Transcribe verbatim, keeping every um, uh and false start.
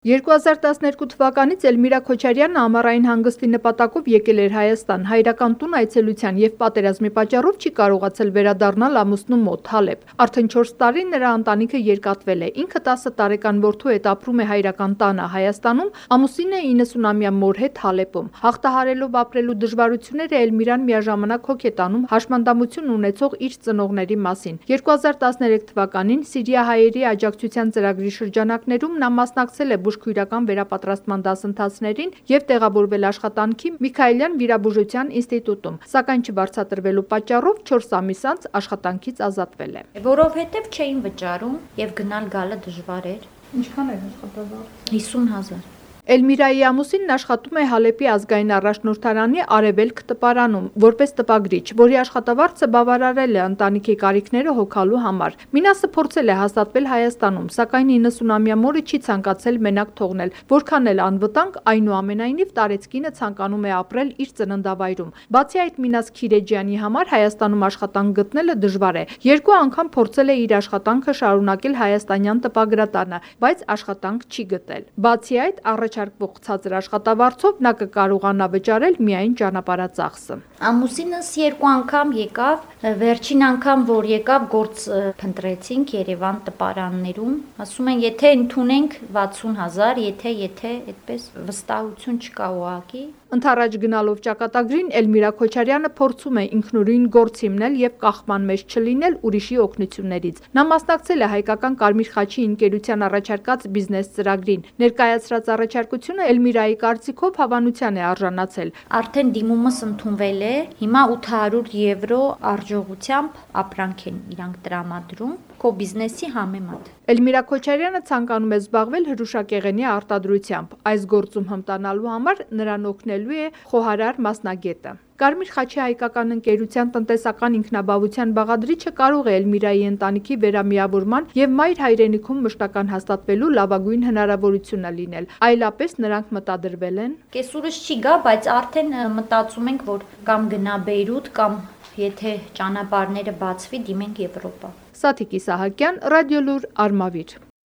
երկու հազար տասներկու թվականից Էլմիրա Քոչարյանը ամառային հանգստի նպատակով եկել էր Հայաստան, հայրական տուն այցելության և պատերազմի պատճառով չի կարողացել վերադառնալ ամուսնու մոտ Հալեբ։ Արդեն չորս տարի նրա ընտանիքը երկատվել է, ինքը տասը տարեկան որդու հետ ապրում է հայրական տանը Հայաստանում, ամուսինը իննսունամյա մոր հետ Հալեբում։ Հաղթահարելով ապրելու դժվարությունները Էլմիրան միաժամանակ հոգ է տանում հաշմանդամություն ունեցող իր ծնողների մասին։ երկու հազար տասներեք թվականին սիրիահայերի աջակցության ծրագրի շրջանակներում նա մասնակցել է բուժքույրական վերապատրաստման դասընթացներին և տեղավորվել աշխատանքի Միքայելյան վիրաբուժության ինստիտուտում, սակայն չբարձրատրվելու պատճառով չորս ամիս անց աշխատանքից ազատվել է։ Որովհետև չէին վճարում և գնալ գալը դժվար էր։ Ինչքան էր աշխատավարձը։ հիսուն հազար։ Էլմիրայի ամուսինն աշխատում է Հալեպի ազգային առաջնորդարանի Արևելք տպարանում որպես տպագրիչ, որի աշխատավարձը բավարարել է ընտանիքի կարիքները հոգալու համար։ Մինասը փորձել է հաստատվել Հայաստանում, սակայն իննսունամյա մորը չի ցանկացել մենակ թողնել, որքան էլ անվտանգ, այնուամենայնիվ տարեցկինը ցանկանում է ապրել իր ծննդավայրում։ Բացի այդ, Մինաս Քիրեջյանի համար Հայաստանում աշխատանք գտնելը դժվար է։ Երկու անգամ փորձել է իր աշխատանքը շարունակել հայաստանյան տպագրատանը, բայց աշխատանք չի գտել։ Բացի այդ, առաջարկվող ցածր աշխատավարձով նա կկարողանա վճարել միայն ճանապարհածախսը։ Ամուսինս երկու անգամ եկավ, վերջին անգամ որ եկավ գործ փնտրեցինք Երևան տպարաններում, ասում են եթե ընդունենք վաթսուն հազար, եթե եթե այդպես վստահություն չկա ուղղակի։ Ընդառաջ գնալով ճակատագրին Էլմիրա Քոչարյանը փորձում է ինքնուրույն գործ հիմնել և կախման մեջ չլինել ուրիշի օգնություններից։ Նա մասնակցել է հայկական Կարմիր խաչի ընկերության առաջարկած բիզնես ծրագրին։ Ներկայացրած առաջարկությունը Էլմիրայի կարծիքով հավանության է արժանացել։ Արդեն դիմումս ընդունվել է, հիմա ութ հարյուր եվրո արժողությամբ ապրանք են իրանք տրամադրում քո բիզնեսի համեմատ։ Էլմիրա Քոչարյանը ցանկանում է զբաղվել հրուշակեղենի արտադրությամբ։ Այս գործում հմտանալու համար նրան օգնելու է խոհարար մասնագետը։ Կարմիր խաչի հայկական ընկերության տնտեսական ինքնաբավության բաղադրիչը կարող է Էլմիրայի ընտանիքի վերամիավորման և մայր հայրենիքում մշտական հաստատվելու լավագույն հնարավորությունը լինել։ Այլապես նրանք մտադրվել են։ Կեսուրս չի գա, բայց արդեն մտածում ենք, որ կամ գնա Բեյրութ, կամ եթե ճանապարհները բացվի, դիմենք Եվրոպա։ Սաթիկ Իսահակյան, Ռադիոլուր, Արմավիր։